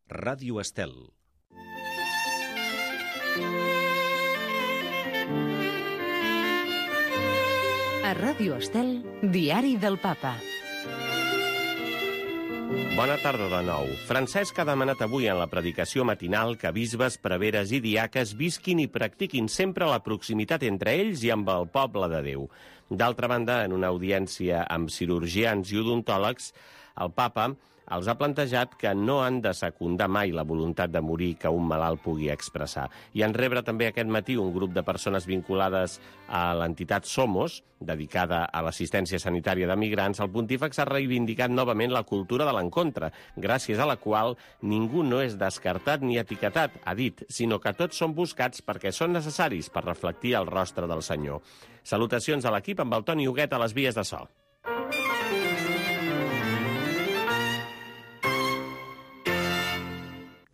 Ràdio Estel. A Ràdio Estel, Diari del Papa. Bona tarda de nou. Francesc ha demanat avui en la predicació matinal que bisbes, preveres i diaques visquin i practiquin sempre la proximitat entre ells i amb el poble de Déu. D'altra banda, en una audiència amb cirurgians i odontòlegs, el papa els ha plantejat que no han de secundar mai la voluntat de morir que un malalt pugui expressar. I en rebre també aquest matí un grup de persones vinculades a l'entitat Somos, dedicada a l'assistència sanitària de migrants, el pontífex ha reivindicat novament la cultura de l'encontre, gràcies a la qual ningú no és descartat ni etiquetat, ha dit, sinó que tots són buscats perquè són necessaris per reflectir el rostre del Senyor. Salutacions a l'equip amb el Toni Huguet a les vies de so.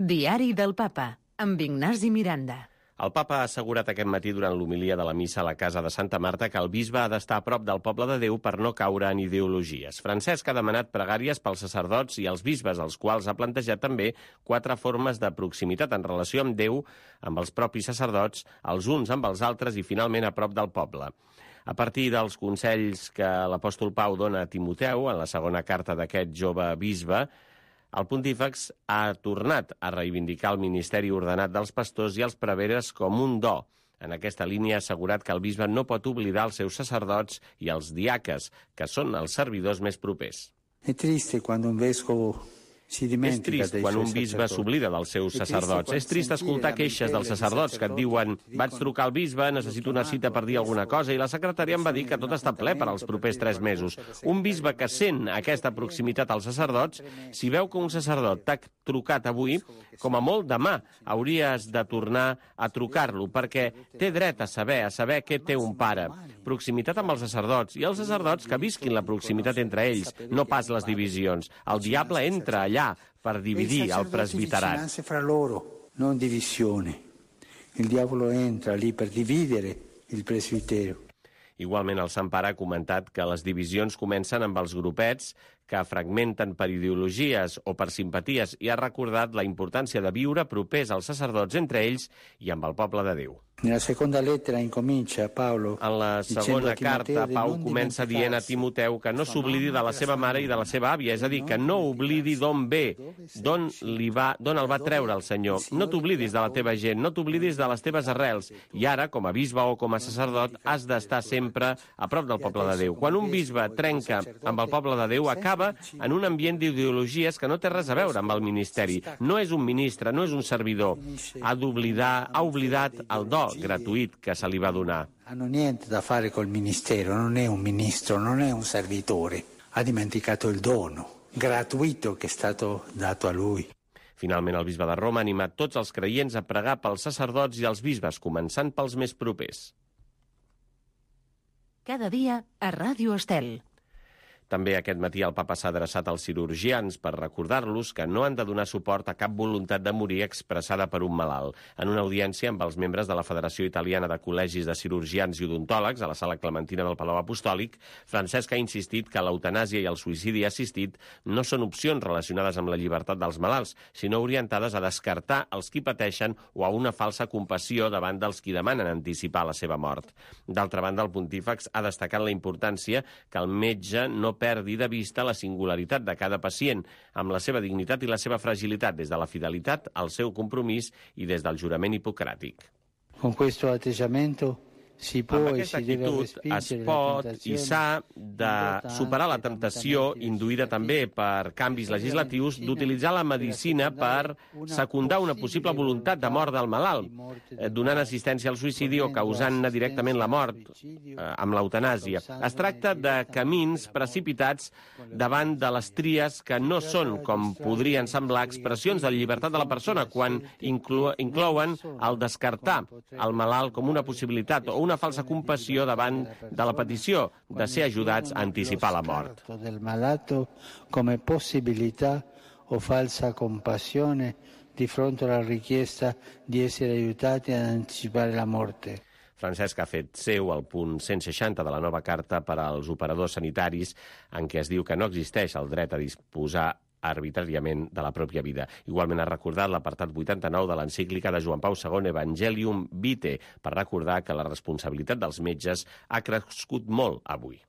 Diari del Papa, amb Ignasi Miranda. El papa ha assegurat aquest matí durant l'homilia de la missa a la casa de Santa Marta que el bisbe ha d'estar a prop del poble de Déu per no caure en ideologies. Francesc ha demanat pregàries pels sacerdots i els bisbes, als quals ha plantejat també 4 formes de proximitat en relació amb Déu, amb els propis sacerdots, els uns amb els altres i finalment a prop del poble. A partir dels consells que l'apòstol Pau dona a Timoteu, en la segona carta d'aquest jove bisbe, el pontífex ha tornat a reivindicar el ministeri ordenat dels pastors i els preveres com un do. En aquesta línia ha assegurat que el bisbe no pot oblidar els seus sacerdots i els diaques, que són els servidors més propers. És trist quan un bisbe s'oblida dels seus sacerdots. És trist escoltar queixes dels sacerdots que et diuen «Vaig trucar al bisbe, necessito una cita per dir alguna cosa i la secretària em va dir que tot està ple per als propers 3 mesos». Un bisbe que sent aquesta proximitat als sacerdots, si veu que un sacerdot t'ha trucat avui, com a molt demà hauries de tornar a trucar-lo, perquè té dret a saber què té un pare. Proximitat amb els sacerdots, i els sacerdots que visquin la proximitat entre ells, no pas les divisions. El diable entra allà per dividir el presbiterat. Non divisione. Il diavolo entra lì per dividere il presbitero. Igualment, el Sant Pare ha comentat que les divisions comencen amb els grupets que fragmenten per ideologies o per simpaties i ha recordat la importància de viure propers als sacerdots entre ells i amb el poble de Déu. En la segona carta, Pau comença dient a Timoteu que no s'oblidi de la seva mare i de la seva àvia, és a dir, que no oblidi d'on ve, d'on el va treure el Senyor. No t'oblidis de la teva gent, no t'oblidis de les teves arrels. I ara, com a bisbe o com a sacerdot, has d'estar sempre a prop del poble de Déu. Quan un bisbe trenca amb el poble de Déu, acaba en un ambient d'ideologies que no té res a veure amb el ministeri. No és un ministre, no és un servidor. Ha oblidat el do gratuït que se li va donar. Hanno niente da fare col ministero, non è un ministro, non è un servitore. Ha dimenticato il dono gratuito che è stato dato a lui. Finalment, el bisbe de Roma ha animat tots els creients a pregar pels sacerdots i els bisbes, començant pels més propers. Cada dia a Ràdio Estel. També aquest matí el papa s'ha adreçat als cirurgians per recordar-los que no han de donar suport a cap voluntat de morir expressada per un malalt. En una audiència amb els membres de la Federació Italiana de Col·legis de Cirurgians i Odontòlegs a la Sala Clementina del Palau Apostòlic, Francesc ha insistit que l'eutanàsia i el suïcidi assistit no són opcions relacionades amb la llibertat dels malalts, sinó orientades a descartar els qui pateixen o a una falsa compassió davant dels qui demanen anticipar la seva mort. D'altra banda, el pontífex ha destacat la importància que el metge no perdi de vista la singularitat de cada pacient, amb la seva dignitat i la seva fragilitat, des de la fidelitat al seu compromís i des del jurament hipocràtic. Con questo atteggiamento amb aquesta actitud es pot i s'ha de superar la temptació, induïda també per canvis legislatius, d'utilitzar la medicina per secundar una possible voluntat de mort del malalt, donant assistència al suïcidi o causant-ne directament la mort amb l'eutanàsia. Es tracta de camins precipitats davant de les tries que no són, com podrien semblar, expressions de la llibertat de la persona, quan inclouen el descartar el malalt com una possibilitat o una falsa compassió davant de la petició de ser ajudats a anticipar la mort. Del malato come possibilità o falsa compassione di fronte alla richiesta di essere aiutati ad anticipare la morte. Francesc ha fet seu el punt 160 de la nova carta per als operadors sanitaris, en què es diu que no existeix el dret a disposar arbitràriament de la pròpia vida. Igualment ha recordat l'apartat 89 de l'encíclica de Joan Pau II, Evangelium Vitae, per recordar que la responsabilitat dels metges ha crescut molt avui.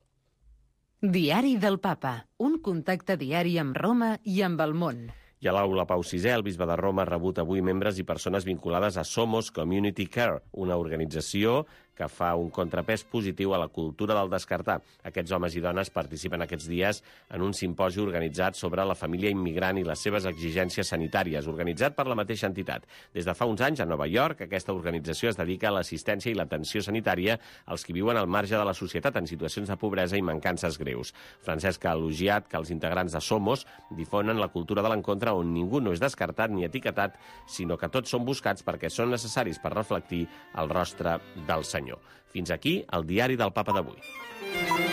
Diari del Papa, un contacte diari amb Roma i amb el món. I a l'Aula Pau VI, el bisbe de Roma ha rebut avui membres i persones vinculades a Somos Community Care, una organització que fa un contrapès positiu a la cultura del descartar. Aquests homes i dones participen aquests dies en un simposi organitzat sobre la família immigrant i les seves exigències sanitàries, organitzat per la mateixa entitat. Des de fa uns anys, a Nova York, aquesta organització es dedica a l'assistència i l'atenció sanitària als que viuen al marge de la societat en situacions de pobresa i mancances greus. Francesc ha elogiat que els integrants de Somos difonen la cultura de l'encontre on ningú no és descartat ni etiquetat, sinó que tots són buscats perquè són necessaris per reflectir el rostre del Senyor. Fins aquí el diari del Papa d'avui.